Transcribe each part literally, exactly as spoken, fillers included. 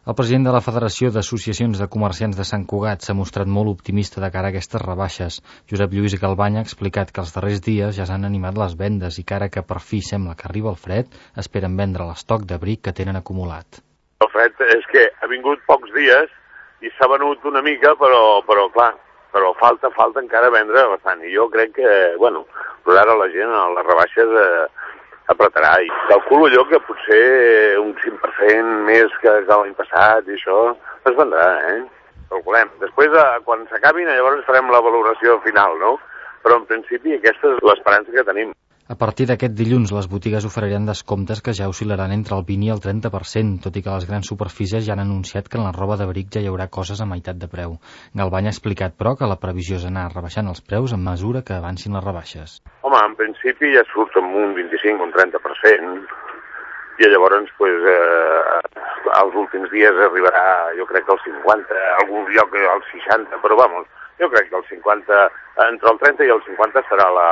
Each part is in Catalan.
El president de la Federació d'Associacions de Comerciants de Sant Cugat s'ha mostrat molt optimista de cara a aquestes rebaixes. Josep Lluís Galbany ha explicat que els darrers dies ja s'han animat les vendes i que ara que per fi sembla que arriba el fred, esperen vendre l'estoc d'abric que tenen acumulat. El fred és que ha vingut pocs dies i s'ha venut una mica, però, però clar, però falta, falta encara vendre bastant. I jo crec que, bueno, però ara la gent a les rebaixes eh, apretarà i calculo jo que potser un cinc per cent més que, que l'any passat i això es vendrà, eh? Calculem. Després, quan s'acabin, llavors farem la valoració final, no? Però en principi aquesta és l'esperança que tenim. A partir d'aquest dilluns, les botigues oferiran descomptes que ja oscil·laran entre el vint i el trenta per cent, tot i que les grans superfícies ja han anunciat que en la roba d'abric ja hi haurà coses a meitat de preu. Galbany ha explicat, però, que la previsió és anar rebaixant els preus a mesura que avancin les rebaixes. Home, en principi ja surt amb un vint-i-cinc o un trenta per cent, i llavors, pues, eh, als últims dies arribarà, jo crec que al cinquanta, a algun lloc al seixanta, però vamos, jo crec que el cinquanta, entre el trenta i el cinquanta serà la,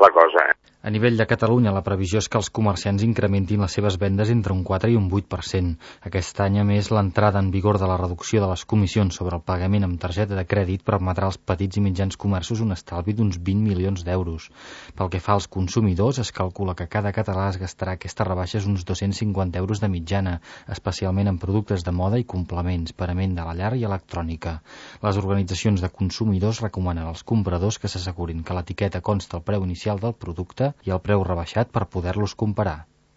la cosa, eh? A nivell de Catalunya, la previsió és que els comerciants incrementin les seves vendes entre un quatre i un vuit per cent. Aquest any, a més, l'entrada en vigor de la reducció de les comissions sobre el pagament amb targeta de crèdit permetrà als petits i mitjans comerços un estalvi d'uns vint milions d'euros. Pel que fa als consumidors, es calcula que cada català es gastarà aquestes rebaixes uns dos-cents cinquanta euros de mitjana, especialment en productes de moda i complements, parament de la llar i electrònica. Les organitzacions de consumidors recomanen als compradors que s'assegurin que l'etiqueta consta el preu inicial del producte i el preu rebaixat per poder-los comparar.